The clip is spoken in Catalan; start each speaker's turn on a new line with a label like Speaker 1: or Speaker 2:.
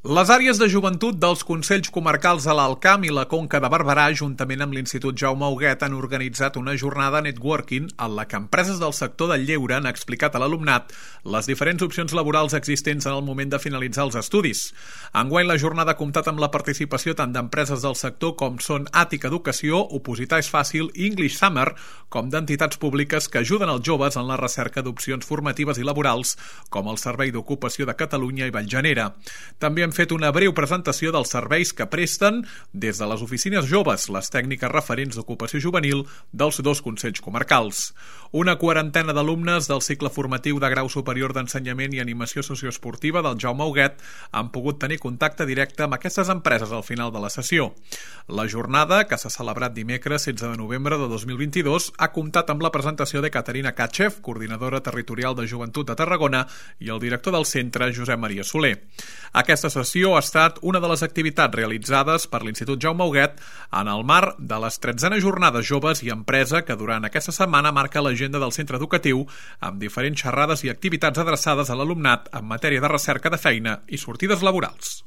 Speaker 1: Les àrees de joventut dels Consells Comarcals de l'Alt Camp i la Conca de Barberà, juntament amb l'Institut Jaume Huguet, han organitzat una jornada networking en la que empreses del sector del lleure han explicat a l'alumnat les diferents opcions laborals existents en el moment de finalitzar els estudis. Enguany, la jornada ha comptat amb la participació tant d'empreses del sector com són Àtica Educació, Opositar és Fàcil i English Summer, com d'entitats públiques que ajuden els joves en la recerca d'opcions formatives i laborals, com el Servei d'Ocupació de Catalunya i Vallgenera. També han fet una breu presentació dels serveis que presten des de les oficines joves, les tècniques referents d'ocupació juvenil dels dos consells comarcals. Una quarantena d'alumnes del cicle formatiu de grau superior d'ensenyament i animació socioesportiva del Jaume Huguet han pogut tenir contacte directe amb aquestes empreses al final de la sessió. La jornada, que s'ha celebrat dimecres 16 de novembre de 2022, ha comptat amb la presentació de Caterina Katchev, coordinadora territorial de Joventut de Tarragona, i el director del centre, Josep Maria Soler. Aquesta sessió ha estat una de les activitats realitzades per l'Institut Jaume Huguet en el marc de les 13es Jornades Joves i Empresa que durant aquesta setmana marca l'agenda del centre educatiu amb diferents xerrades i activitats adreçades a l'alumnat en matèria de recerca de feina i sortides laborals.